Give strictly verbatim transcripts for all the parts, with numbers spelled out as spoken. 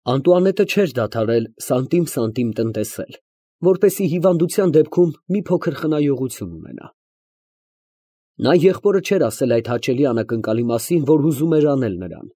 Անտուանետը չէր դադարել սանտիմ֊սանտիմ տնտեսել, որպեսզի հիվանդության դեպքում մի փոքր խնայողություն ունենա։ Նա եղբորը չէր ասել այդ հաճելի անակնկալի մասին, որ ուզում էր անել նրան։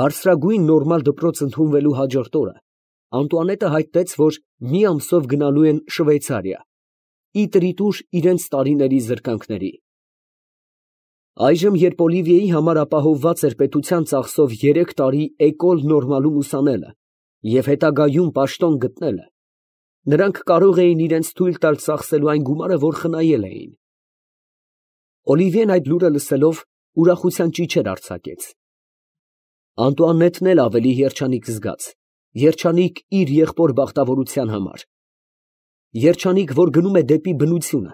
Բարձրագույն նորմալ դպրոց ընդունվելու հաջորդ օրը Անտուանետը հայտնեց, որ մի ամսով գնալու են Շվեյցարիա, ի տրիտուր իրենց տարիների զրկանքների։ Այժմ, երբ Օլիվիեի համար ապահովված էր պետության ծախսով երեք տարի էկոլ նորմալում ուսանելը և հետագայում պաշտոն գտնելը, նրանք կարող էին իրենց թույլ տալ ծախսելու այն գումարը, որ խնայել էին։ Օլիվիեն այդ լուրը լսելով ուրախության ճիչեր արձակեց։ Անտուանետն էլ ավելի երջանիկ զգաց, երջանիկ իր եղբոր բախտավորության համար, երջանիկ, որ գնում է դեպի բնությունը,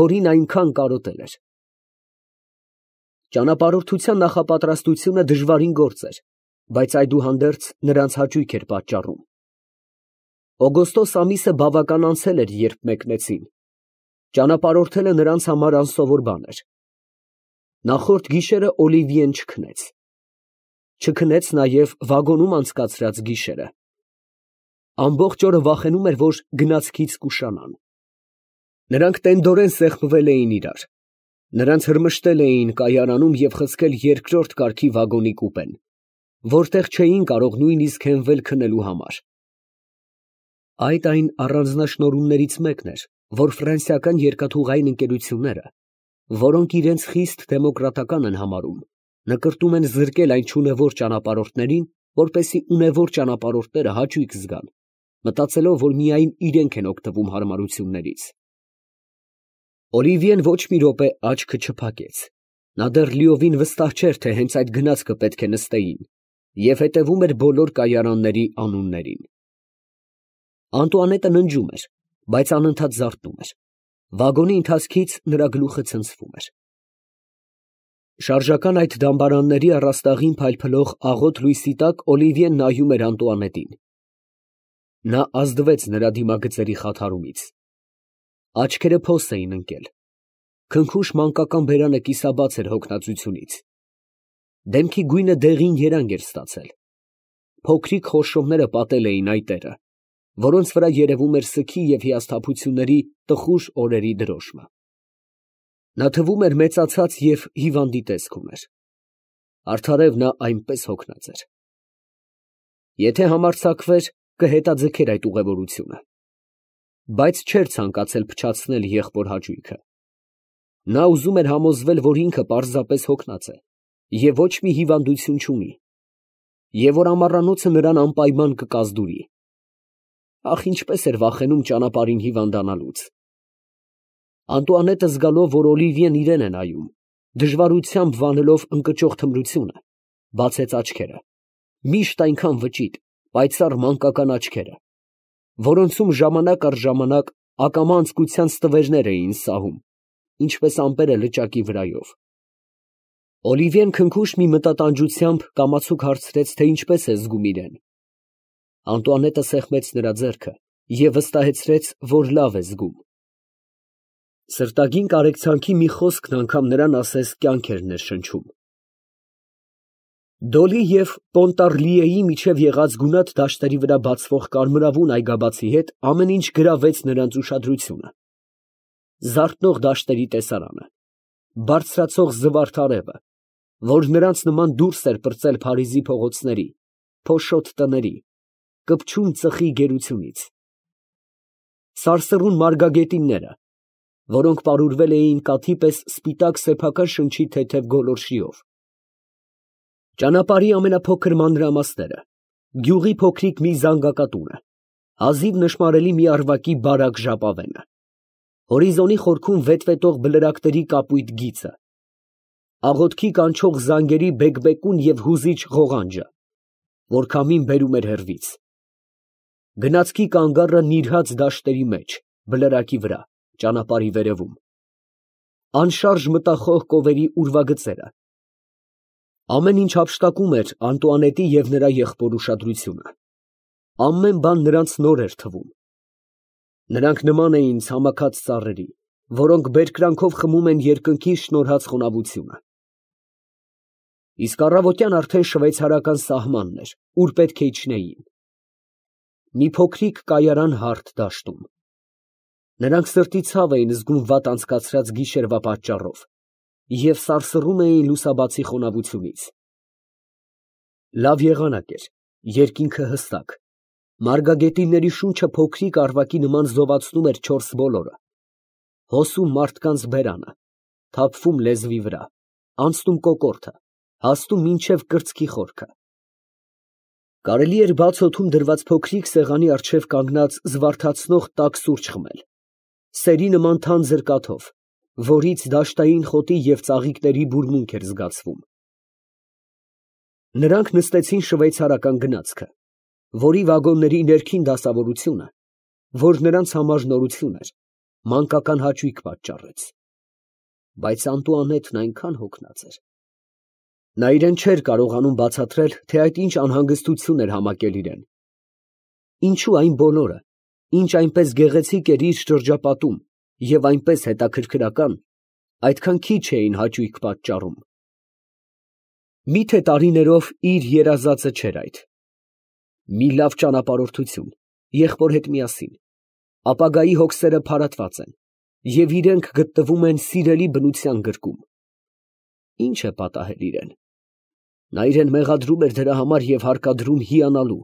որին այնքան կարոտել էր։ Ճանապարհորդության նախապատրաստությունը դժվարին գործ էր, բայց այդուհանդերձ նրանց հաճույք էր պատճառում։ Օգոստոս ամիսը բավական անցել էր, երբ մեկնեցին։ Ճանապարհորդելը նրանց համար անսովոր բան էր։ Նախորդ գիշերը Օլիվիեն չքնեց։ Չքնեց նաև վագոնում անցկացրած գիշերը։ Ամբողջ օրը վախենում էր, որ գնացքից կուշանան։ Նրանք տենդորեն սեղմվել էին իրար։ Նրանց հրմշտել էին կայարանում և խցկել երկրորդ կարգի վագոնի կուպեն, որտեղ չէին կարող նույնիսկ հենվել քնելու համար։ Այդ այն առանձնաշնորհումներից մեկն էր, որ ֆրանսիական երկաթուղային ընկերությունները, որոնք իրենց խիստ դեմոկրատական են համարում, նկրտում են զրկել այն չունևոր ճանապարհորդներին, որպեսզի ունևոր ճանապարհորդները հաճույք զգան, մտածելով, որ միայն իրենք են օգտվում հարմարություններից։ Օլիվիեն ոչ մի րոպե աչքը չփակեց։ Նա դեռ լիովին վստահ չէր, թե հենց այդ գնացքը պետք է նստեին, և հետևում էր բոլոր կայարանների անուններին։ Անտուանետը ննջում էր, բայց անընդհատ զարթնում էր։ Վագոնի ընթացքից նրա գլուխը ցնցվում էր։ Շարժական այդ դամբարանների առաստաղին փայլփլող աղոտ լույսի տակ Օլիվիեն նայում էր Անտուանետին։ Նա ազդվեց նրա դիմագծերի խաթարումից։ Աչքերը փոս էին ընկել։ Քնքուշ մանկական բերանը կիսաբաց էր հոգնածությունից։ Դեմքի գույնը դեղին երանգ էր ստացել։ Փոքրիկ խորշոմները պատել էին այտերը, որոնց վրա երևում էր սգի և հիասթափությունների տխուր օրերի դրոշմը։ Նա թվում էր մեծացած և հիվանդի տեսք ուներ։ Արդարև նա այնպես հոգնած էր։ Եթե համարձակվեր, կհետաձգեր այդ ուղևորությունը։ Բայց չէր ցանկացել փչացնել եղբոր հաճույքը։ Նա ուզում էր համոզվել, որ ինքը պարզապես հոգնած է և ոչ մի հիվանդություն չունի, և որ ամառանոցը նրան անպայման կկազդուրի։ Ախ, ինչպես էր վախենում ճանապարհին հիվանդանալուց։ Անտուանետը զգալով, որ Օլիվիեն իրեն է նայում, դժվարությամբ վանելով ընկճող թմրությունը, բացեց աչքերը, միշտ այնքան վճիտ, պայծառ մանկական աչքերը, որոնցում ժամանակ առ ժամանակ ակամա անձկության ստվերներ էին սահում, ինչպես ամպերը լճակի վրայով։ Օլիվիեն քնքուշ մի մտատանջությամբ կամացուկ հարցրեց, թե ինչպես է զգում իրեն։ Անտուանետը սեղմեց նրա ձեռքը և վստահեցրեց, որ լավ է զգում։ Սրտագին կարեկցանքի մի խոսքն անգամ նրան ասես կյանք էր ներշնչում։ Դոլի և Պոնտառլիեի միջև եղած գունատ դաշտերի վրա բացվող կարմրավուն այգաբացի հետ ամեն ինչ գրավեց նրանց ուշադրությունը։ Զարթնող դաշտերի տեսարանը, բարձրացող զվարթ արևը, որ նրանց նման դուրս էր պրծել Փարիզի փողոցների, փոշոտ տների, կպչուն ծխի գերությունից։ Սարսռուն մարգագետինները, որոնք պարուրվել էին կաթի պես սպիտակ սեփական շնչի թեթև գոլորշիով։ Ճանապարհի ամենափոքր մանրամասները, գյուղի փոքրիկ մի զանգակատունը, հազիվ նշմարելի մի առվակի բարակ ժապավենը, հորիզոնի խորքում վետվետող բլրակների կապույտ գիծը, աղոթքի կանչող զանգերի բեկբեկուն և հուզիչ ղողանջը, որ քամին բերում էր հեռվից, գնացքի կանգառը նիրհած դաշտերի մեջ, բլրակի վրա, ճանապարհի վերևում, անշարժ մտախոհ կովերի ուրվագծերը, ամեն ինչ հափշտակում էր Անտուանետի և նրա եղբոր ուշադրությունը։ Ամեն բան նրանց նոր էր թվում։ Նրանք նման էին ցամաքած ծառերի, որոնք բերկրանքով խմում են երկնքի շնորհած խոնավությունը։ իսկ առավոտյան արդեն շվեյցարական սահմանն էր, ուր պետք է իջնեին։ Մի փոքրիկ կայարան հարթ դաշտում։ Նրանք սրտի ցավ էին զգում վատ անցկացրած գիշերվա պատճառով և սարսռում էին լուսաբացի խոնավությունից։ Լավ եղանակ էր, երկինքը հստակ, մարգագետինների շունչը փոքրիկ առվակի նման զովացնում էր չորս բոլորը, հոսում մարդկանց բերանը, թափվում լեզվի վրա, անցնում կոկորդը, հասնում մինչև կրծքի խորքը։ Կարելի էր բաց օդում դրված փոքրիկ սեղանի առջև կանգնած զվարթացնող տաք սուրճ խմել, սերի նման թանձր կաթով, որից դաշտային խոտի և ծաղիկների բուրմունք էր զգացվում։ Նրանք նստեցին շվեյցարական գնացքը, որի վագոնների ներքին դասավորությունը, որ նրանց համար նորություն էր, մանկական հաճույք պատճառեց։ Բայց Անտուանետն այնքան հոգնած էր։ Նա իրեն չէր կարողանում բացատրել, թե այդ ինչ անհանգստություն էր համակել իրեն։ Ինչու այն բոլորը, ինչ այնպես գեղեցիկ էր իր շրջապատում և այնպես հետաքրքրական, այդքան քիչ էին հաճույք պատճառում։ Մի՞թե տարիներով իր երազածը չէր այդ։ Մի լավ ճանապարհորդություն, եղբոր հետ միասին, ապագայի հոգսերը փարատված են, և իրենք գտնվում են սիրելի բնության գրկում։ Ի՞նչ է պատահել իրեն։ Նա իրեն մեղադրում էր դրա համար և հարկադրում հիանալու,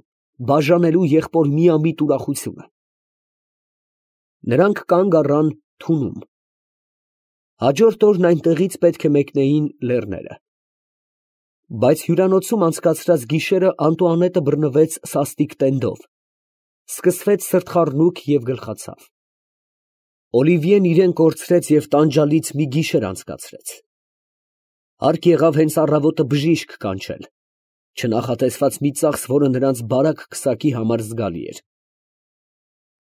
բաժանելու եղբոր միամիտ ուրախությունը։ Նրանք կանգ առան թունում։ Հաջորդ օրն այնտեղից պետք է մեկնեին լեռները։ Բայց հյուրանոցում անցկացրած գիշերը Անտուանետը բռնվեց սաստիկ տենդով, սկսվեց սրտխառնուկ և գլխացավ։ Օլիվիեն իրեն կորցրեց և տանջալից մի գիշեր անցկացրեց։ Հարկ եղավ հենց առավոտը բժիշկ կանչել, չնախատեսված մի ծախս, որը նրանց բարակ քսակի համար զգալի էր։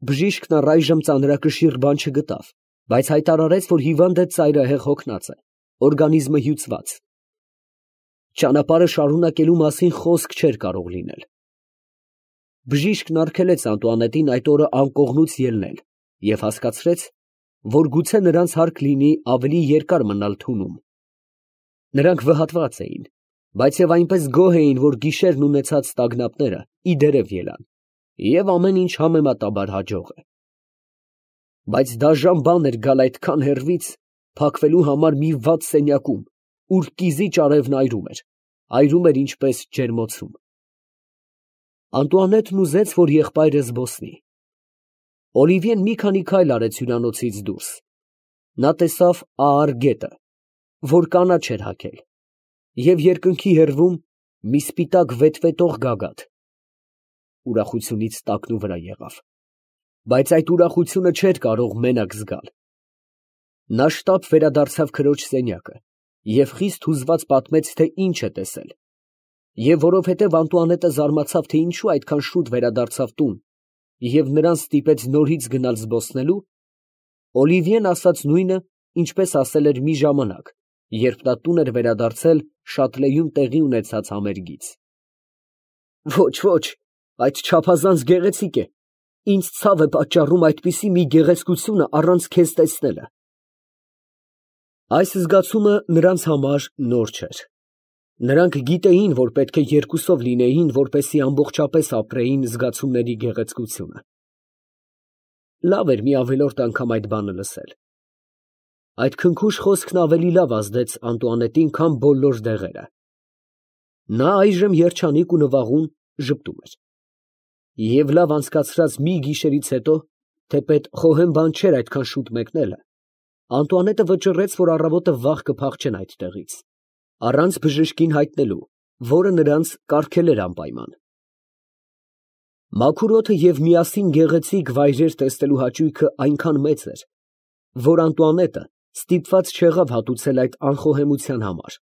Բժիշկն առայժմ ծանրակշիռ բան չգտավ, բայց հայտարարեց, որ հիվանդը ծայրահեղ հոգնած է, օրգանիզմը հյուծված։ Ճանապարհը շարունակելու մասին խոսք չէր կարող լինել։ Բժիշկն արգելեց Անտուանետին այդ օրը անկողնուց ելնել և հասկացրեց, որ գուցե նրանց հարկ լինի ավելի երկար մնալ թունում։ Նրանք վհատված էին, բայց և այնպես գոհ էին, որ գիշերն ունեցած տագնապները ի դերև ելան, և ամեն ինչ համեմատաբար հաջող է։ Բայց դաժան բան էր գալ այդքան հեռվից, փակվելու համար մի վատ սենյակում, ուր կիզիչ արևն այրում էր, այրում էր ինչպես ջերմոցում։ Անտուանետն ուզեց, որ եղբայրը զբոսնի։ Օլիվիեն մի քանի քայլ արեց հյուրանոցից դուրս։ Նա տեսավ ահար գետը, որ կանաչ էր հագել, և երկնքի հեռվում մի սպիտակ վետվետող գագաթ։ Ուրախությունից տակնուվրա եղավ, բայց այդ ուրախությունը չէր կարող մենակ զգալ։ Նա շտապ վերադարձավ քրոջ սենյակը և խիստ հուզված պատմեց, թե ինչ է տեսել։ Եվ որովհետև Անտուանետը զարմացավ, թե ինչու այդքան շուտ վերադարձավ տուն և նրան ստիպեց նորից գնալ զբոսնելու, Օլիվիեն ասաց նույնը, ինչպես ասել էր մի ժամանակ, երբ նա տուն էր վերադարձել Շատլեյում տեղի ունեցած համերգից։ Ոչ, ոչ, այդ չափազանց գեղեցիկ է, ինձ ցավ է պատճառում այդպիսի մի գեղեցկությունը առանց քեզ տեսնելը։ Այս զգացումը նրանց համար նոր չէր։ Նրանք գիտեին, որ պետք է երկուսով լինեին, որպեսզի ամբողջապես ապրեին զգացումների գեղեցկությունը։ Լավ էր մի ավելորդ անգամ այդ բանը լսել։ Այդ քնքուշ խոսքն ավելի լավ ազդեց Անտուանետին, քան բոլոր դեղերը։ Նա այժմ երջանիկ ու նվաղուն ժպտում էր։ Եվ լավ անցկացրած մի գիշերից հետո, թեպետ խոհեմ բան չէր այդքան շուտ մեկնելը, Անտուանետը վճռեց, որ առավոտը վաղ կփախչեն այդտեղից, առանց բժշկին հայտնելու, որը նրանց կարգել էր անպայման։ Մաքուր օդը և միասին գեղեցիկ վայրեր տեսնելու հաճույքը այնքան մեծ էր, որ Անտուանետը ստիպված չեղավ հատուցել այդ անխոհեմության համար,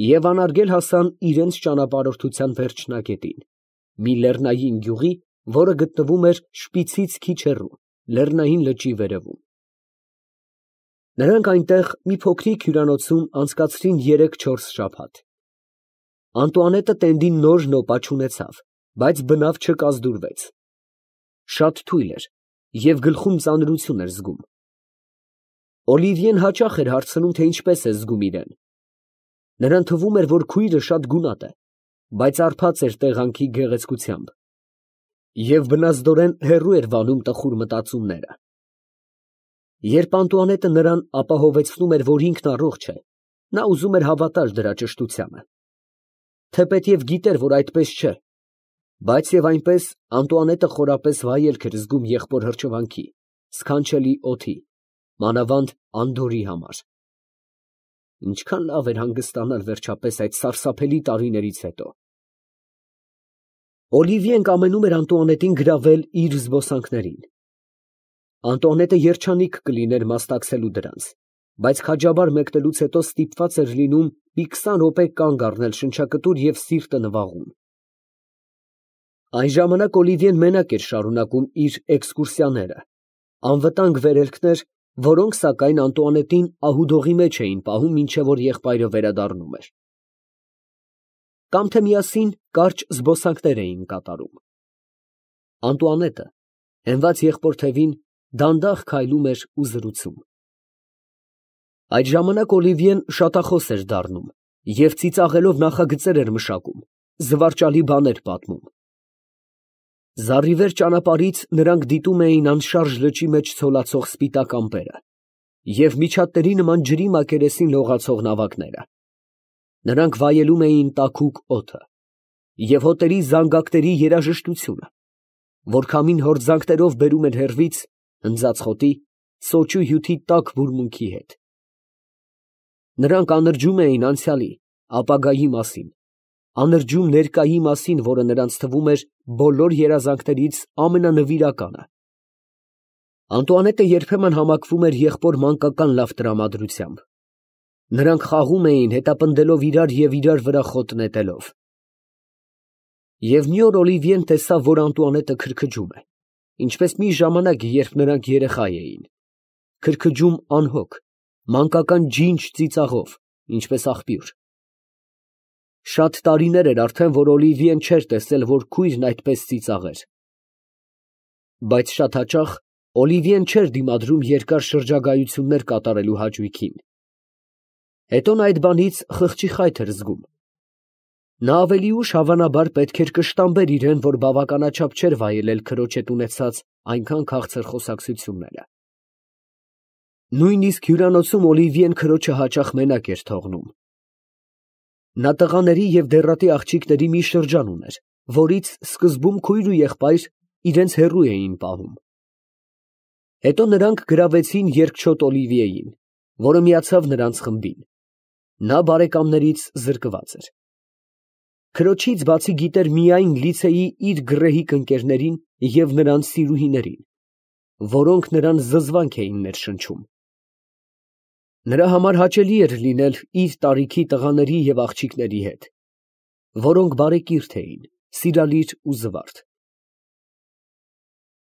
և անարգել հասան իրենց ճանապարհորդության վերջնագետին, մի լեռնային գյուղի, որը գտնվում էր Շպիցից քիչ հեռու, լեռնային լճի վերևում։ Նրանք այնտեղ մի փոքրիկ հյուրանոցում անցկացրին երեք֊չորս շաբաթ։ Անտուանետը տենդին նոր նոպա չունեցավ, բայց բնավ չկազդուրվեց։ Շատ թույլ էր և գլխում ծանրություն էր զգում։ Օլիվիեն հաճախ էր հարցնում, թե ինչպես է զգում իրեն։ Նրան թվում էր, որ քույրը շատ գունատ է, բայց արբած էր տեղանքի գեղեցկությամբ և բնազդորեն հեռու էր վանում տխուր մտածումները։ Երբ Անտուանետը նրան ապահովեցնում էր, որ ինքն առողջ է, նա ուզում էր հավատալ դրա ճշտությանը, թեպետև գիտեր, որ այդպես չէ, բայց և այնպես Անտուանետը խորապես վայելք էր զգում եղբոր հրճվանքի, սքանչելի օդի, մանավանդ Անդորի համար։ Ինչքան լավ էր հանգստանալ վերջապես այդ սարսափելի տարիներից հետո։ Օլիվիեն կամենում էր Անտուանետին գրավել իր զբոսանքներին։ Անտուանետը երջանիկ կլիներ մասնակցելու դրանց, բայց քաջաբար մեկնելուց հետո ստիպված էր լինում մի քսան րոպե կանգ առնել շնչակտուր և սիրտը նվաղում։ Այն ժամանակ Օլիվիեն մենակ էր շարունակում իր էքսկուրսիաները, անվտանգ վերելքներ, որոնք, սակայն, Անտուանետին ահուդողի մեջ էին պահում, մինչև որ եղբայրը վերադառնում էր, կամ թե միասին կարճ զբոսանքներ էին կատարում։ Անտուանետը, հենված եղբոր թևին, դանդաղ քայլում էր ու զրուցում։ Այդ ժամանակ Օլիվիեն շատախոս էր դառնում և ծիծաղելով նախագծեր էր մշակում, զվարճալի բաներ պատմում։ Զառիվեր ճանապարհից նրանք դիտում էին անշարժ լճի մեջ ցոլացող սպիտակ ամպերը և միջատների նման ջրի մակերեսին լողացող նավակները։ Նրանք վայելում էին տաքուկ օդը և հոտերի զանգակների երաժշտությունը, որ քամին հորձանքներով բերում էր հեռվից, հնձած խոտի, սոճու հյութի տաք բուրմունքի հետ։ Նրանք անրջում էին անցյալի, ապագայի մասին, անրջում ներկայի մասին, որը նրանց թվում էր բոլոր երազանքներից ամենանվիրականը։ Անտուանետը երբեմն համակվում էր եղբոր մանկական լավ տրամադրությամբ։ Նրանք խաղում էին, հետապնդելով իրար և իրար վրա խոտ նետելով։ Եվ մի օր Օլիվիեն տեսավ, որ Անտուանետը քրքջում է, ինչպես մի ժամանակ, երբ նրանք երեխա էին, քրքջում անհոգ, մանկական ջինջ ծիծաղով, ինչպես աղբյուր։ Շատ տարիներ էր արդեն, որ Օլիվիեն չէր տեսել, որ քույրն այդպես ծիծաղեր։ Բայց շատ հաճախ Օլիվիեն չէր դիմադրում երկար շրջագայություններ կատարելու հաճույքին։ Հետո նա այդ բանից խղճի խայթ էր զգում։ Նա ավելի ուշ, հավանաբար, պետք էր կշտամբեր իրան, որ բավականաչափ չէր վայելել քրոջ հետ ունեցած այնքան քաղցր խոսակցությունները։ Նույնիսկ հյուրանոցում Օլիվիեն քրոջը հաճախ մենակ էր թողնում։ Նա տղաների և դեռատի աղջիկների մի շրջան ուներ, որից սկզբում քույր ու եղբայր իրենց հեռու էին պահում։ Հետո նրանք գրավեցին երկչոտ Օլիվիեին, որը միացավ նրանց խմբին։ Նա բարեկամներից զրկված էր։ Քրոջից բացի գիտեր միայն լիցեի իր գռեհիկ ընկերներին և նրանց սիրուհիներին, որոնք նրան զզվանք էին ներշնչում։ Նրա համար հաճելի էր լինել իր տարիքի տղաների և աղջիկների հետ, որոնք բարեկիրթ էին, սիրալիր ու զվարթ։